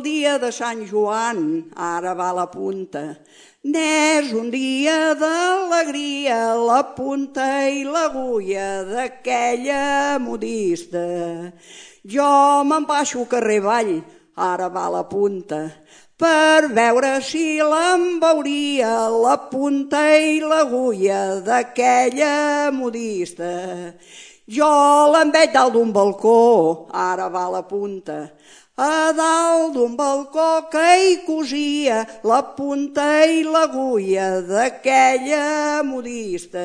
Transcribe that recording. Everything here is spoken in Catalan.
el dia de Sant Joan, ara va la punta. N'és un dia d'alegria, la punta i l'agulla d'aquella modista. Jo me'n baixo al carrer avall, ara va la punta, per veure si l'embeuria la punta i l'agulla d'aquella modista. Jo l'en veig dalt d'un balcó, ara va la punta, a dalt d'un balcó que hi cosia la punta i l'agulla d'aquella modista.